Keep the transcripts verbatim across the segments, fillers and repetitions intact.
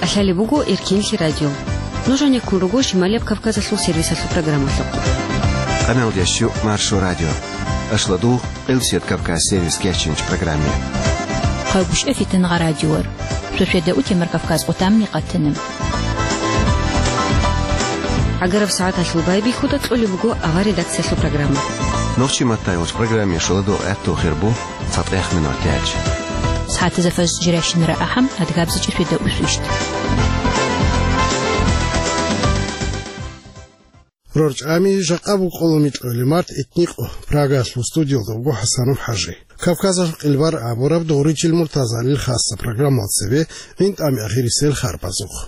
Лъалеб буго Эркинлъи радио. Нуж гьанеккун руго Шималияб Кавказалъул сервисалъул программалъухъ. Къаналдящу Маршо радио. Ашладугъ Къилсият Кавказ сервис кечинч программе. Хъайгушев Фитнагъа радиор. Шошеда утемар Кавказ къутамни къатана. Агараб сагӀаталъул байбихьуда кьолеб буго авар редакциялъул программа. Нохчи матайвач программе шоладо гӀатту хирбу. ЦатӀех минутач. СагӀатазда фажр жирашинара ахӀам, адгабзичӀи феда усвищ. Рорчами жакъа букъоло микьоли март этникъо, Прагалъул студиялда вуго ХӀасанов ХӀажи. Кавказалъ къилбар абураб дугъричил муртазалил хасса программал цебе гӀинтӀами ахирисел харбазухъ.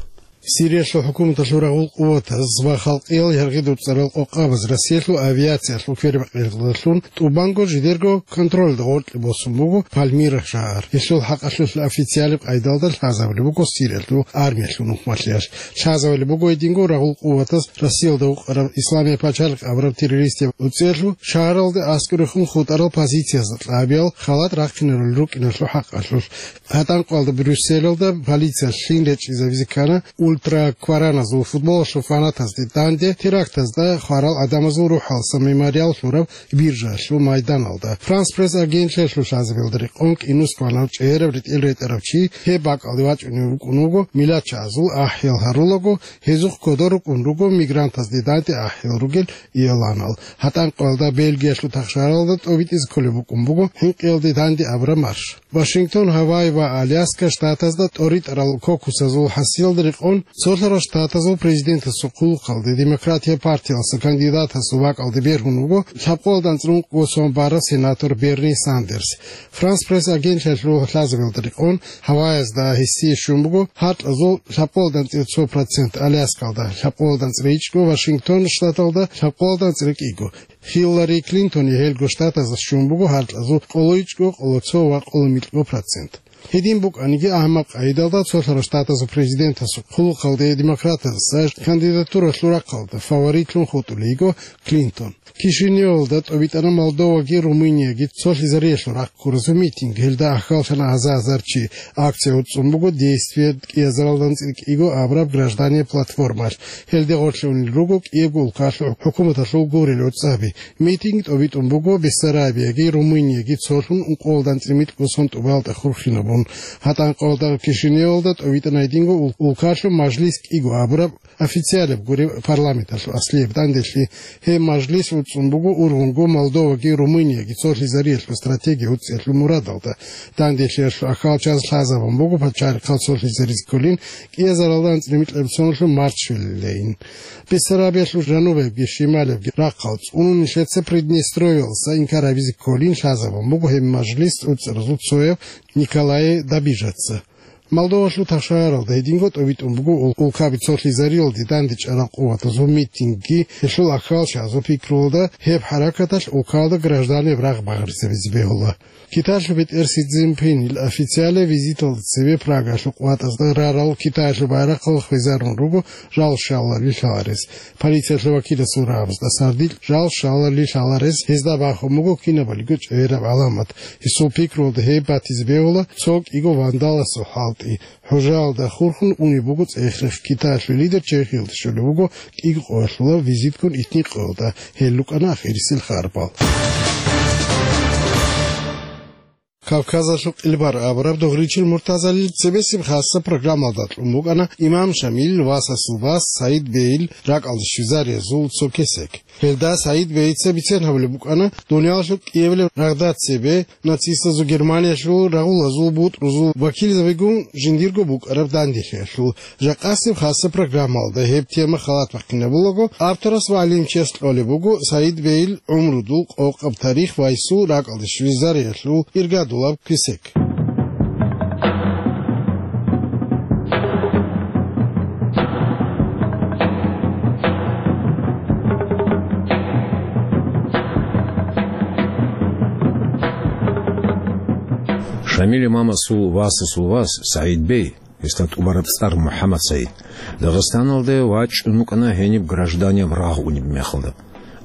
Сириялъул хӀукуматалъул рагъул къуватаз ва халкъиял яргъи дуцӀарал къокъабаз Россиялъул авиациялъул квербакъиялдалъун тӀубанго жидерго контролда гъоркье босун буго Пальмира шагьар. Гьелъул хӀакъалъулъ официалаб къайдалда лъазабулеб буго Сириялъул армиялъул нухмалъиялъ. Лъазабулеб буго гьединго рагъул къуватаз Россиялда вукъараб Исламияб пачалихъ абураб террористияб уцӀиялъул шагьаралде аскӀорехун хутӀарал позициязда кьабиял халат рахъинарулел рукӀиналъул хӀакъалъулъ. ГьатӀанкъоялда Брюсселалда полициялъ лъим речӀчӀизабизе ккана ультраквараназул футболалъул фанатазде данде терактазда хварал гӀадамазул рухӀалса мемориал лъураб биржаялъул майданалда. Франс Пресс агентлъиялъул лъазабиялда рекъон кӀинус кванав чӀегӀераб ретӀел ретӀарав чи гьеб бакӀалде вачӀунев вукӀун вуго милачагӀазул ахӀиял гьарулаго, гьезухъ кодор рукӀун руго мигрантазде данде ахӀиял ругел иоланал. ГьатӀанкъоялда Бельгиялъул тахшаралда тӀобитӀизе кколеб букӀун буго хӀинкъиялде данде абураб марш. Вашингтон, Гавайи ва Аляска штатазда тӀоритӀарал кокусазул хӀасиялда рекъон цолъарал штатазул президентасул хъулухъалде Демократия партиялъа кандидатасул бакӀалде бергьун вуго лъабкъоялда анцӀрун кӀусун бараб сенатор Берни Сандерс. Франс Пресс агентлъиялъул лъазабиялда рекъон, Гавайязда гьесие щун буго гьаркьазул лъабкъоялда анцӀила цо процент, Аляскалда лъабкъоялда анцӀила ичӀго, Вашингтон штаталда лъабкъоялда анцӀила кӀиго. Хиллари Клинтони гьелго штатазда щун буго гьаркьазул къолоичӀго, къолоцо ва къоломикьго процент. Гьедин букӀаниги, агьмаб къайдалда цолъарал штатазул президентасул хъулухъалде демократазда кандидатуралъул рахъалда фаворитлъун хутӀулей йиго Клинтон. Кишиневалда тӀобитӀана Молдоваги Румынияги цолъизариялъул рахъ ккуразул митинг. Гьелда ахьаллъана гьаза-гьазар чи. Акция уцӀцӀун буго Действие кӀиазаралда анцӀила кӀиго абураб граждане платформалъ. Гьелде гъорлъунел руго кӀиябго улкалъул хӀукуматалъул гурел гӀуцӀаби. Митинг тӀобитӀун буго Бессарабияги Румынияги цолъун ункъоялда анцӀила микьго сон тӀубалда хурхинабун. ГьатӀанкъоялда Кишиневалда тӀобитӀана гьединго ул-, улкалъул мажлис кӀиго абураб официалаб гуреб парламенталъул аслияб данделъи. Гьеб мажлис уцӀцӀун буго ургъунго Молдоваги Румынияги цолъизариялъул стратегия уцӀцӀиялъул мурадалда. Данделъиялъул ахьалчаз лъазабун буго пачалихъал цолъизаризе кколин кӀиазаралда анцӀила микьаб соналъул Марчвеллейин. Бессарабиялъул жанубаябги шималаябги рахъал цӀунун нилъеца Приднестровьялдаса инкар гьабизе кколин лъазабун буго гьеб мажлис уцӀцӀаразул цояв Николае Добижаца. Молдовалъул тахшагьаралда гьединго тӀобитӀун буго ул-, улкаби цолъизариялде дандечӀарал къуватазул митингги, гьелъул ахьалчазул пикруялда гьеб хӀаракаталъ улкаялда гражданиял рагъ багъаризабизе бегьула. Китаялъул бетӀер Си Цзиньпинил официалаб визиталда цебе Прагалъухъ ватӀазда рарал Китаялъул байрахъал хвезарун руго жал щалалли лъаларес. Полициялъул вакиласул рагӀабазда сардилъ жал щалалли лъаларес гьезда бахун буго кинабалиго чӀегӀераб гӀаламат. Гьесул пикруялда гьеб батизе бегьула цо кӀиго вандаласул хӀалтӀи. ХӀужаялда хурхун унеб буго цӀех-рех. Китаялъул лидер Чехиялде щолеб буго кӀиго къоялъула визитккун итникъоялда. Гьел рукӀана ахирисел харбал. Кавказалъул къилбар абураб дугъричил муртазалил цебесеб хасса программалда кьун букӀана имам Шамил васасул вас СагӀид бейил ракӀалде щвезариязул цо кесек. Гьелда СагӀид бейица бицен гьабулеб букӀана дуниялалъул кӀиабилеб рагъда цебе нацистазул Германиялъул рагъулазул бутӀрузул вакилзабигун жиндирго букӀараб данделъиялъул. Жакъасеб хасса программалда гьеб тема халат бахъинабулаго, авторас ва гӀалимчияс кьолеб буго СагӀид бейил гӀумрудул къокъаб тарих ва гьесул ракӀалде щвезариялъул иргадулаб кесек. Шамил имамасул васасул вас СагӀид бей, гьесда тӀубараб цӀар МухӀаммад СагӀид, Дагъистаналде вачӀун вукӀана гьениб гражданияб рагъ унеб мехалда.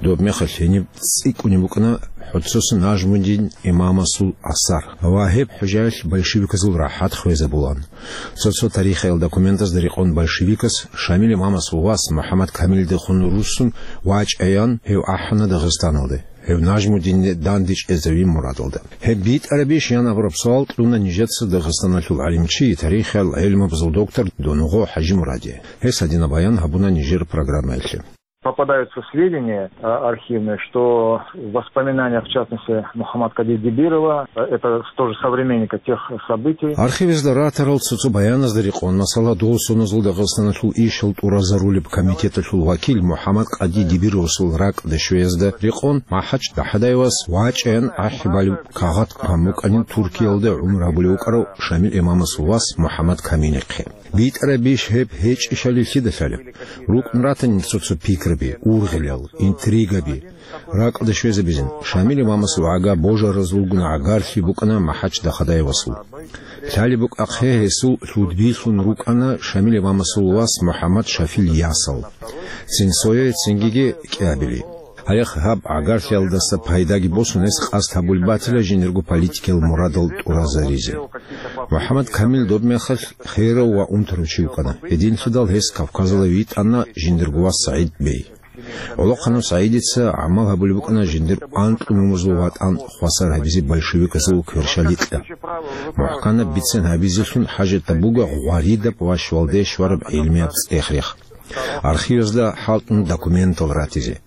Доб мехалъ гьениб цӀикӀкӀунеб букӀана ХӀуццуса Нажмудин имамасул асар ва гьеб хӀужаялъ большевиказул рахӀат хвезабулан. Цо-цо тарихиял документазда рекъон большевикас Шамил имамасул вас МухӀаммад Камилидехун руссун вачӀаян гьев ахӀана Дагъистаналде, гьев Нажмудинде дандечӀезавин мурадалда. Гьеб битӀарабищ ян абураб суал кьуна нижеца Дагъистаналъул гӀалимчи, тарихиял гӀелмабазул доктор Донгъо ХӀажимураде. Гьес гьадинаб баян гьабуна нижер программаялъе. Попадаются сведения, а, архивные, что в воспоминаниях, в частности, Мухаммад Кади Дибирова, э, это тоже современника тех событий. Архивазда ратарал цо-цо баяназда рекъон, масала, дол соназул Дагъистаналъул ишал тӀуразарулеб комитеталъул вакил МухӀаммад Кади Дибировасул ракӀалде щвеязда рекъон, МахӀач ДахӀадаевас вачӀаян ахӀи балеб кагъат кван букӀанин Туркиялда гӀумру гьабулев вукӀарав Шамил имамасул вас МухӀаммад Камилихъе. БитӀарабищ гьеб гьечӀищали лъида лъалеб? РукӀун ратани цо-цо пикраби, ургъилал, интригаби. РакӀалде щвезабизин, Шамил имамасул гӀага божаразулгун гӀагарлъи букӀана МахӀач ДахӀадаевасул. Лъалеб букӀахъе, гьесул лъудбилъун рукӀана Шамил имамасул вас МухӀаммад Шафил ясал. Цин сое, цингиги кӀиабили. Гьарех гьаб гӀагарлъиялдаса пайдаги босун, гьес къасд гьабулеб батила жиндирго политикиял мурадал тӀуразаризе. МухӀаммад Камил доб мехалъ херав ва унтарав чи вукӀана. Гьединлъидал гьес Кавказалде витӀана жиндирго вас СагӀид бей. ГӀолохъанав СагӀидица гӀамал гьабулеб букӀана жиндир анкьнумазул ватӀан хвасар гьабизе большевиказул кверщаликьа. МухӀканаб бицен гьабизелъун хӀажатаб буго гъваридаб ва щвалде щвараб гӀилмияб цӀех-рех. Архивазда хӀалтӀун документал ратизе.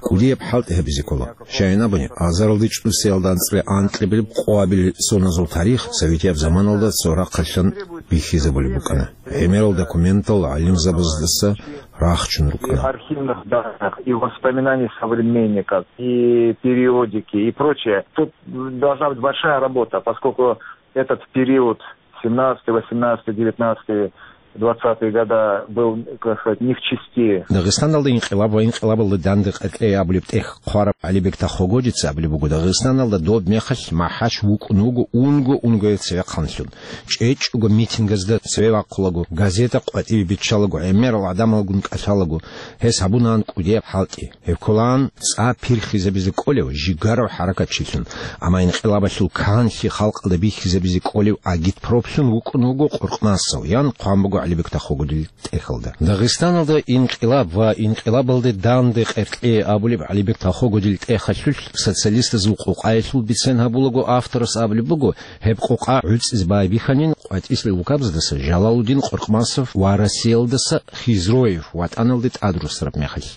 КӀудияб хӀалтӀи гьабизе ккола. Щайин абуни, азаралде чӀусиялда анцӀила анкьабилеб къоабилеб соназул тарих советияб заманалда цо рахъалъан бихьизабулеб букӀана. ГӀемерал документал гӀалимзабаздаса рахчун рукӀана. Архивных данных и воспоминаний современников, и периодики, и прочее. Тут должна быть большая работа, поскольку этот период, семнадцатый, восемнадцатый, девятнадцатый, двадцатые года, был, как сказать, не в чести. Дагъистаналда инкъилаб ва инкъилабалда данде къеркьей абулеб тӀехь хъвараб ГӀалибек Тахогодица абулеб буго, Дагъистаналда доб мехалъ МахӀач вукӀун вуго унго-унгояв цевехъанлъун. ЧӀечӀого митингазда цеве вахъулаго, газета къватӀиве биччалаго, гӀемерал гӀадамалгун кӀалъалаго, гьес гьабунаан кӀудияб хӀалтӀи. Гьеб кколаан цӀа пирхизабизе кӀолев жигарав хӀаракатчилъун, амма инкъилабалъул канлъи халкъалда бихьизабизе кӀолев агитпроплъун вукӀун вуго Къуркъмасов, ян хъван буго ГӀалибек Тахогодил тӀехьалда. Дагъистаналда инкъилаб ва инкъилабалде данде къеркьей абулеб ГӀалибек Тахогодил тӀехьалъулъ социалистазул къокъаялъул бицен гьабулаго авторас абулеб буго, гьеб къокъа гӀуцӀизе байбихьанин къватӀислъи лукабаздаса Жалалудин Къуркъмасов ва Россиялдаса Хизроев ватӀаналде тӀадрусараб мехалъ.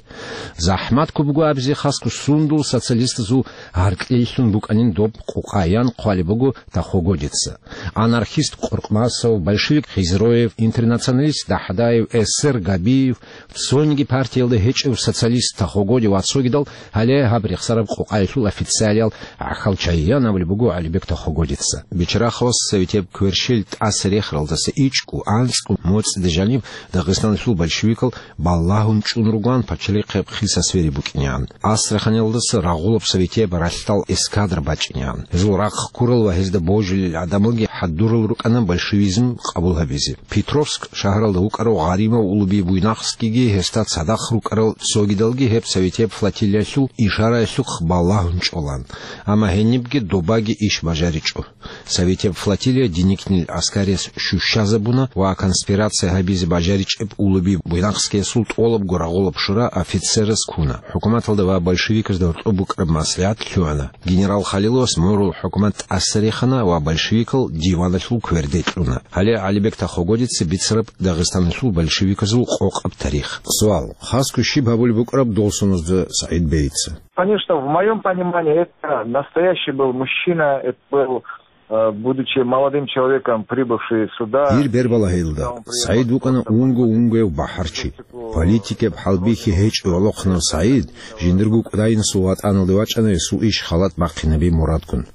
ЗахӀмат ккун буго абизе хасго сундул социалистазул гьаркьлъилъун букӀанин доб къокъа, ян хъвалеб буго Тахогодица. Анархист Къуркъмасов, большевик Хизроев, интернационалист ДахӀадаев, эсер Габиев, цониги партиялда гьечӀев социалист Тахогоди ва цогидал гьале гьаб рехсараб къокъаялъул официалиял гӀахьал чайи, ян абулеб буго ГӀалибек Тахогодица. Бичарахъалас советияб кверщел тӀаса рехаралдаса ичӀго, анцӀго моцӀида жаниб Дагъистаналъул большевикал балагьун чӀун ругоан пачалихъе хиса сфери букӀинегӀан. Астраханиялдаса рагъулаб советияб ралъдал эскадра бачӀинегӀан. Гьезул рахъ ккурал ва гьезда божулел гӀадамалги хӀадурал рукӀана большевизм къабул гьабизе. Петровск шагьаралда вукӀарав гъаримав Улуби Буйнакскиги гьесда цадахъ рукӀарал цогидалги гьеб советияб флотилиялъул ишараялъухъ балагьун чӀолан. Амма гьенибги добаги иш бажаричӀо. Советияб флотилия Деникинил гӀаскариялъ щущазабуна ва конспирация гьабизе бажаричӀеб Улуби Буйнакскиясул тӀолабго рагъулаб шура офицераз ккуна. ХӀукуматалда ва большевиказда гьоркьоб букӀараб маслигӀат лъугӀана. Генерал Халиловас мурул хӀукумат тӀаса рехана ва большевикал диваналъул кверде кьуна. Гьале ГӀалибек Тахогодица бицараб Дагъистаналъул большевиказул къокъаб тарих. Суал: хасго щиб гьабулеб букӀараб дол соназда СагӀид бейица? Конечно, в моём понимании это настоящий был мужчина, это был, э, будучи молодым человеком, прибывший сюда. Дир бербалагьилда, СагӀид вукӀана унго-унгояв бахӀарчи. Политикаб хӀалбихьи гьечӀев Алохъанав СагӀид жиндирго кӀудайнасул ватӀаналде вачӀана гьесул иш халат бахъинаби мурадгун.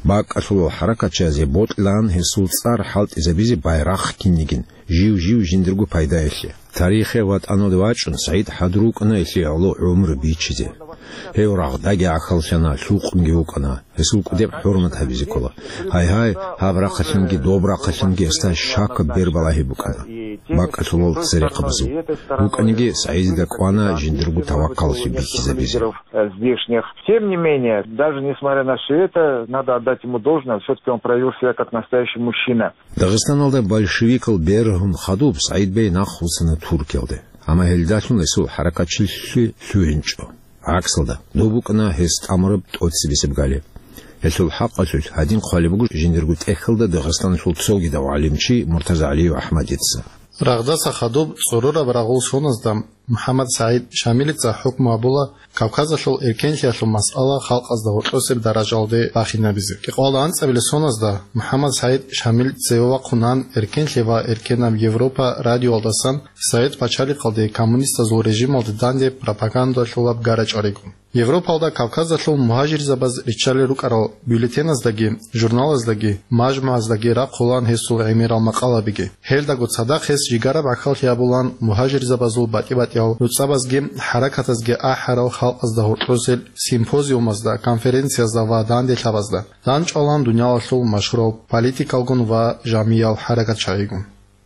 БакӀалъулал хӀаракатчиязе бокьилаан гьесул цӀар хӀалтӀизабизе байрахъ кинигин, жив-жив жиндирго пайдаялъе. Тарихе ватӀаналде вачӀун, СагӀид хӀадур вукӀана гьелъие гӀоло гӀумру бичизе. Гьев рагъдаги гӀахьаллъана, лъукъунги вукӀана. Гьесул кӀудеб хӀурмат гьабизе ккола. Гьай-гьай, гьаб рахъалъанги доб рахъалъанги гьесда щакаб бербалагьи букӀана. бакӀалъулал церехъабазул. БукӀаниги, СагӀидида кӀвана жиндирго таваккаллъи бихьизабизе. Э, здешних. Тем не менее, даже несмотря на всё это, надо отдать ему должное, всё-таки он проявил себя как настоящий мужчина. Дагъистаналда большевикал бергьун хадуб СагӀид бей нахъвуссана Туркиялде. Амма гьелдалъун гьесул хӀаракатчилъи лъугьинчӀо. ГӀаксалда, доб букӀана гьес тӀамураб тӀоцебесеб гали. Гьелъул хӀакъалъулъ гьадин хъвалеб буго жиндирго тӀехьалда Дагъистаналъул цогидав гӀалимчи Муртазагьалиев АхӀмадица. Рагъдаса хадуб цӀорораб рагъул соназда МухӀаммад СагӀид Шамилица хӀукму гьабула Кавказалъул эркенлъиялъул масъала халкъазда гьоркьосеб даражалде бахинабизе. Кьикъоялда анцӀабилеб соназда МухӀаммад СагӀид Шамил цеве вахъунан, «Эркенлъи ва эркенаб Европа» радиоялдасан Совет пачалихъалде коммунистазул режималде данде пропагандалъулаб гара чӀваригун. Европалда Кавказалъул мугьажирзабаз риччалел рукӀарал бюллетеназдаги, журналаздаги, мажмугӀаздаги рахъулаан гьесул гӀемерал макъалабиги. Гьелдаго цадахъ гьес жигараб гӀахьаллъи гьабулаан мугьажирзабазул батӀи-батӀиял нуцӀабазги хӀаракатазги ахӀарал халкъазда гьоркьосел симпозиумазда, конференциязда ва данделъабазда, дандчӀвалаан дуниялалъул машгьурал политикалгун ва жамиял хӀаракатчагӀигун.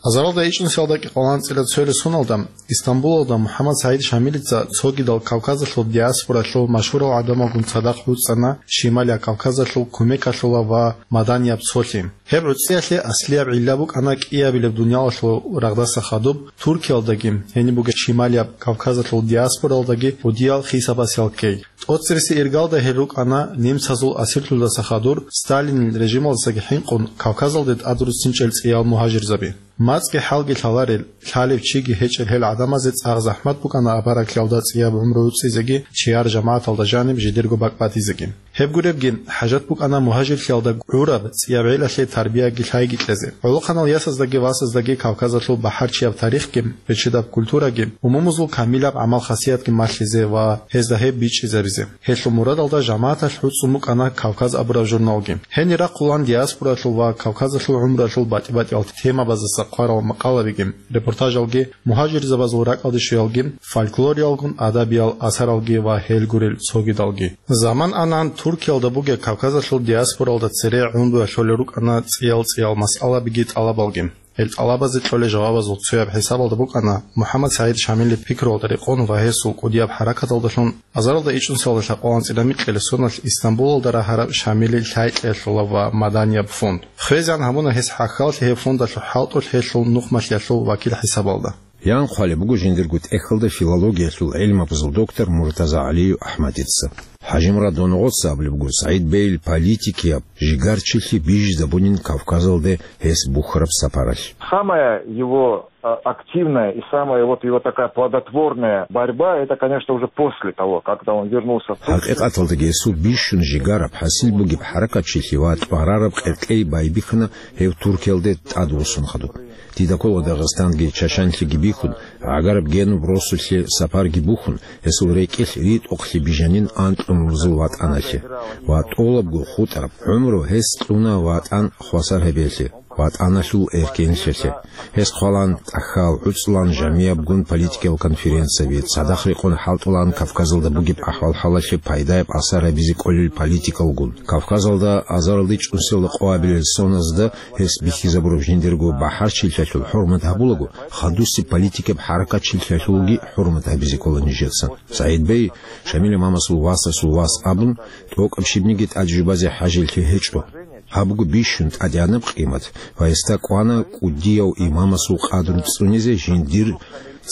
Азаралда ичӀнусиялда кӀикъоялда анцӀила цоялъ соналда Истамбулалда МухӀаммад СагӀид Шамилица цогидал Кавказалъул диаспоралъул машгьурал гӀадамалгун цадахъ гӀуцӀана Шималияб Кавказалъул кумекалъула ва маданияб цолъи. Гьеб гӀуцӀиялъе аслияб гӀилла букӀана кӀиабилеб дуниялалъул рагъдаса хадуб Туркиялдаги, гьениб бугеб Шималияб Кавказалъул диаспоралдаги кӀудиял хисабасел ккей. ТӀоцереси иргалда гьел рукӀана немцазул асирлъуздаса хадур Сталинил режималдасаги хӀинкъун Кавказалде тӀадруссинчӀел цӀиял мугьажирзаби. МацӀги хӀалги лъаларел, лъалев чиги гьечӀел гьел гӀадамазе цӀакъ захӀмат букӀана абараглъиялда цӀияб гӀумру гӀуцӀизеги, чияр жамагӀаталда жаниб жидерго бакӀ батизеги. Гьеб гуребги, хӀажат букӀана мугьажирлъиялда гӀураб цӀияб гӀелалъе тарбияги лъайги кьезе. ГӀолохъанал ясаздаги васаздаги Кавказалъул бахӀарчияб тарихги, бечедаб культураги, умумузул камилаб гӀамал-хасиятги малъизе ва гьезда гьеб бичӀчӀизабизе. Гьелъул мурадалда жамагӀаталъ гӀуцӀун букӀана «Кавказ» абураб журналги. Гьенир рахъулаан диаспоралъул ва Кавказалъул гӀумралъул батӀи-батӀиял темабаздаса хъварал макъалабиги, репортажалги, мугьажирзабазул ракӀалде щвеялги, фольклориялгун адабиял асаралги ва гьел гурел цогидалги. Заман ана-, Туркиялда бугеб Кавказалъул диаспоралда цере гӀумруялъ кьолел рукӀана цӀиял-цӀиял масъалабиги тӀалабалги. Гьел тӀалабазе кьолел жавабазул цояб хӀисабалда букӀана МухӀаммад СагӀид Шамилил пикруялда рекъон ва гьесул кӀудияб хӀаракаталдалъун азаралда ичӀнусиялда лъабкъоялда анцӀила микьилеб соналъ Истамбулалда рагьараб Шамилил лъайкьиялъула ва маданияб фонд. ХвезегӀан гьабуна гьес гӀахьаллъи гьеб фондалъул хӀалтӀулъ гьелъул нухмалъиялъул вакил хӀисабалда. Ян хъвалеб буго жиндирго тӀехьалда филологиялъул гӀилмабазул доктор Муртазагьалиев АхӀмадица. ХӀажимурад Доногъоца абулеб буго СагӀид бейил политикияб жигарчилъи бижизабунин Кавказалде гьес бухьараб сапаралъ. Самая его, а, активная и самая вот его такая плодотворная борьба, это, конечно, уже после того, когда он вернулся в Турцию. ХӀакъикъаталдаги гьесул бищун жигараб хӀасил бугеб хӀаракатчилъи ва тӀварараб къеркьей байбихьана гьев Туркиялде тӀадвуссун хадуб. Дида ккола Дагъистанги Чачанлъиги бихьун, гӀагараб генуб росулъе сапарги бухьун, гьесул рекӀелъ ритӀухълъи бижанин анкьнурзул ватӀаналъе. Ва тӀолабго хутӀараб гӀумру гьес кьуна ватӀан хвасар гьабиялъе, ватӀаналъул эркенлъиялъе. Гьес хъвалан тӀахьал, гӀуцӀлъан жамиябгун политикиял конференцияби, цадахъ рекъон хӀалтӀулан Кавказалда бугеб ахӀвал-хӀалалъе пайдаяб асар гьабизе кӀолел политикалгун. Кавказалда азаралда ичӀнусиялда къоабилел соназда гьес бихьизабураб жиндирго бахӀарчилъиялъул хӀурмат гьабулаго, хадусеб политикаб хӀаракатчилъиялъулги хӀурмат гьабизе ккола нижеца. СагӀид бей Шамил имамасул васасул вас абун, тӀокӀаб щибниги тӀаде жубазе хӀажилъи гьечӀо. Гьаб буго бищун тӀадегӀанаб къимат ва гьесда кӀвана кӀудияв имамасул къадру цӀунизе жиндир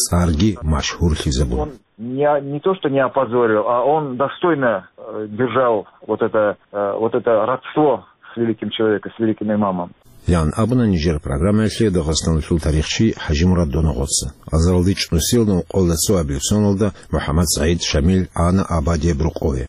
цӀарги машгьурлъизабун. Не, не то, что не опозорил, а он достойно, э, держал вот это, э, вот это родство с великим человеком, с великим имамом. Ян абуна нижер программаялъе Дагъистаналъул тарихчи ХӀажимурад Доногъоца. Азаралда ичӀнусиялда ункъоялда цоабилеб соналда МухӀаммад СагӀид Шамил ана абадияб рокъове.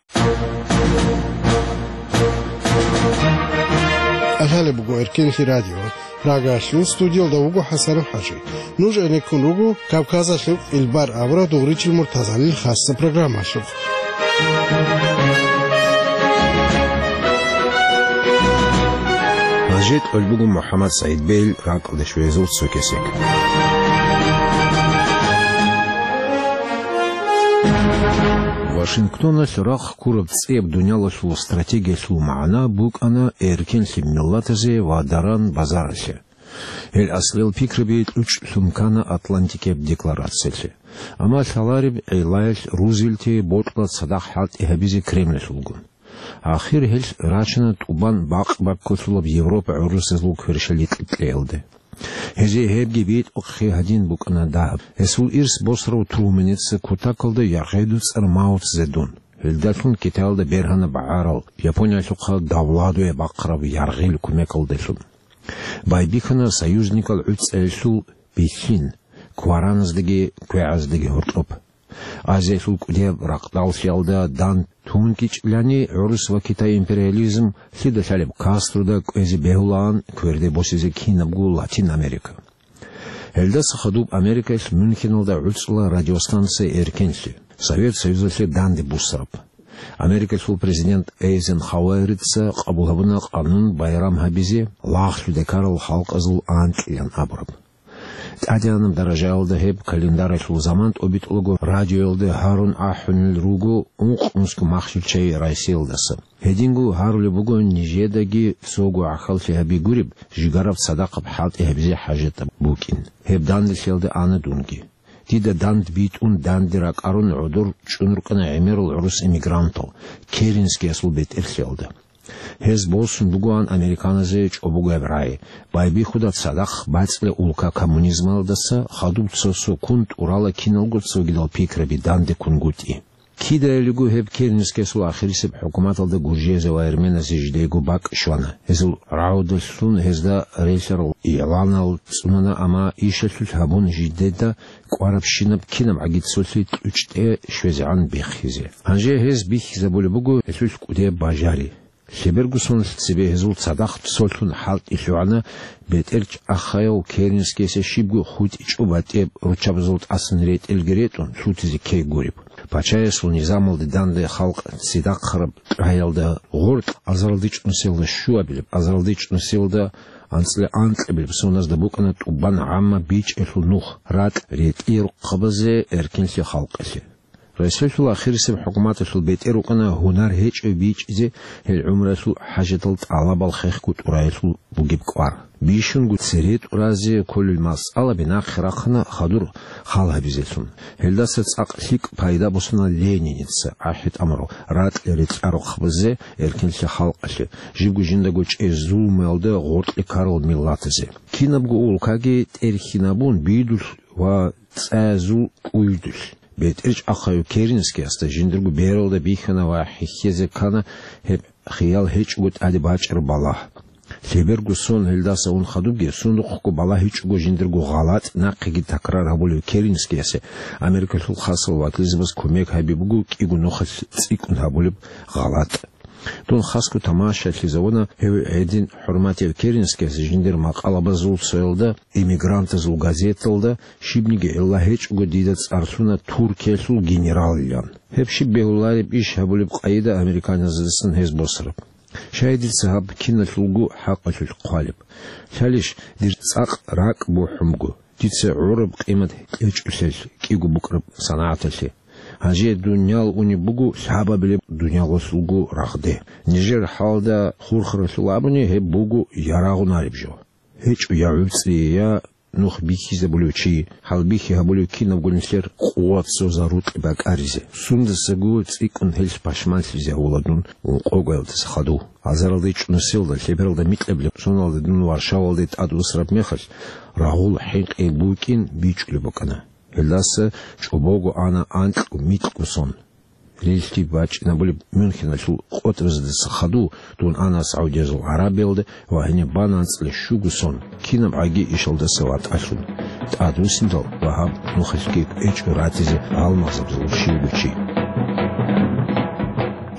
Лъалеб буго Эркенлъи радио. Прагаялъул студиялда вуго ХӀасан ХӀажи. Нуж гӀенеккун руго Кавказалъул кӀилбар абураб Дугъричил Муртазалил хасса программалъухъ. Гьанже кьолеб буго МухӀаммад СагӀид бейил ракӀалде щвезул цо кесек. Вашингтоналъ рахъ ккураб цӀияб дуниялалъул стратегиялъул магӀна букӀана эркенлъи миллатазе ва даран-базаралъе. Гьел аслиял пикраби кьучӀлъун ккана Атлантикияб декларациялъе. Амма лъалареб гӀиллаялъ Рузвельтие бокьула цадахъ хӀалтӀи гьабизе Кремлалъулгун. Ахир гьелъ рачана тӀубан бакъ-баккулъулаб Европа гӀурусазул кверщаликь кьеялде. Гьезие гьебги битӀухъе гьадин букӀана дагьаб. Гьесул ирс босарав Труменица кутакалда яргъи дуцӀар Мао Цзедун. Гьелдалъун Китаялда бергьана багӀарал, Япониялъухъа давладуе бахъараб яргъил кумекалдалъун. Байбихьана союзникал гӀуцӀаялъул бихьин, квараназдаги квегӀаздаги гьоркьоб. Азиялъул кӀудияб ракъдаллъиялда дандун ккечӀелани, гӀурус ва Китай империализм лъида лъалеб Кастрода кӀвезе бегьулаан кверде босизе кинабго Латин Америка. Гьелдаса хадуб Америкаялъ Мюнхеналда гӀуцӀула радиостанция «Эркенлъи», Совет Союзалъе данде буссараб. Америкалъул президент Эйзенхауэрица къабул гьабуна къанун байрам гьабизе лагълъуде ккарал халкъазул анкьилан абураб. ТӀадегӀанаб даражаялда гьеб календаралъул заман тӀобитӀулаго радиоялда гьарун ахӀунел руго ункънусго махщел чагӀи Россиялдаса. Гьединго гьарулеб буго нижедаги цого гӀахьаллъи гьаби гуреб, жигараб цадахъаб хӀалтӀи гьабизе хӀажатаб букӀин. Гьеб данделъиялда ана дунги. Дида данде битӀун данде ракӀарун гӀодор чӀун рукӀана гӀемерал гӀурус эмигрантал, Керенскиясул бетӀерлъиялда. Гьез босун бугоан американазе чӀобогояб рагӀи, байбихьуда цадахъ бацӀцӀила улка коммунизмалдаса хадуб цо-цо ккун тӀурала киналго цогидал пикраби данде ккунгутӀи. Кидаялиго гьеб Керенскиясул ахирисеб хӀукуматалда гуржиязе ва эрменазе жидейго бакӀ щвана. Гьезул рагӀудалъун гьезда релълъарал игӀланал цӀунана, амма ишалъулъ гьабун жидеда кӀварабщинаб кинаб гӀагицолъи кьучӀде щвезегӀан биххизе. Гьанже гьез бихьизабулеб буго гьелъулъ кӀудияб бажари. Лъеберго сонлъ цебе гьезул цадахъ цолъун хӀалтӀи лъугӀана бетӀер чӀахъаяв Керенскиясе щибго хутӀичӀо батӀияб руччабазул тӀасан ретӀелги ретӀун лъутизе ккей гуреб. Пачаясул низамалде данде халкъ цидахъараб тӀагӀаялда гъоркь азаралдичӀ нусиялда щуабилеб, азаралдичӀ нусиялда анцӀила анкьабилеб соназда букӀана тӀубан гӀамма бичӀчӀиялъул нух, ракь ретӀияб рахъабазе эркенлъи халкъалъе. Россиялъул ахирисеб хӀукуматалъул бетӀер рукӀана гьунар гьечӀев бичӀчӀизе гьел гӀумруялъул хӀажатал тӀалабал хехго тӀураялъул бугеб кӀвар. Бищунго цере тӀуразе кколел масъалаби нахъе рахъана хадур хал гьабизелъун. Гьелдаса цӀакъ лъикӀ пайда босана Лениница ахӀи тӀамурал ракь ретӀарухъ базе эркенлъи халкъалъе, жибго жиндаго чӀезул муялда гъоркье ккарал миллатазе. Кинабго улкаги тӀерхьинабун бидулъ ва цӀаязул кӀуйдулъ. БетӀер чӀахъав Керенскиясда жиндирго бералда бихьана ва хӀехьезе ккана гьеб хиял гьечӀого тӀаде бачӀараб балагь. Лъеберго сон гьелдаса ун хадубги, сундухъго балагьичӀого жиндирго гъалатӀ нахъеги такрар гьабулев Керенскиясе Америкалъул хасал вакилзабаз кумек гьаби буго кӀиго нухалъ цӀикӀкӀун гьабулеб гъалатӀ. Дун хасго тамашалъизавуна гьев гьедин хӀурматияв Керенскияс жиндир макъалабазул цоялда, эмигрантазул газеталда, щибниги гӀилла гьечӀого дида цӀарлъуна Туркиялъул генералилан. Гьеб щиб бегьулареб иш гьабулеб къайда американцаздасан гьез босараб. Щай дица гьаб киналъулго хӀакъалъулъ хъвалеб? Лъалищ дир цӀакъ ракӀ бухӀун буго? Дица гӀураб къимат кьечӀолъел кӀиго букӀараб санагӀаталъе. Гьанже дуниял унеб буго лъабабилеб дуниялалъулго рагъде. Нижер хӀалда хурхаралъул абуни, гьеб буго ярагъунареб жо. ГьечӀо я гӀуцӀи, я нух бихьизабулев чи, хӀалбихьи гьабулев кинабго нилъер къуват цо зарукьи бакӀаризе. Сундасаго цӀикӀкӀун гьелъ пашманлъизе гьавула дун ункъоялдаса хадув. Азаралда ичӀнусиялда, лъебералда микьабилеб соналда дун Варшавалде тӀад усараб мехалъ, рагъул хӀинкъи букӀин бичӀчӀулеб букӀана. Гьелдаса чӀобого ана анкьго-микьго сон. Релълъи бачӀинабулеб Мюнхеналъул къотӀразадаса хадув дун ана СагӀудиязул ГӀарабиялда ва гьениб бана анцӀила щуго сон, кинаб гӀаги ишалдаса ватӀалъун, тӀадвуссиндал ва гьаб нухалъги кӀвечӀо ратизе гьалмагъзабазул щивго чи.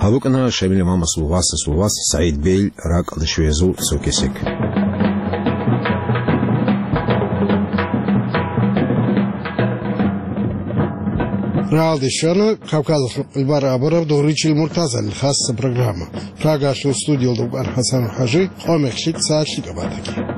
Гьаб букӀана Шамил имамасул васасул вас СагӀид Бейл ракӀалда щвеязул цо кесек. Рагьалде щвана Кавказалъул къилбар абураб Дугъричил Муртазалил хасса программа. Прагалъул студиялда вукӀана ХӀасан ХӀажи, къо-мех лъикӀ, сагӀат лъикӀаб батаги.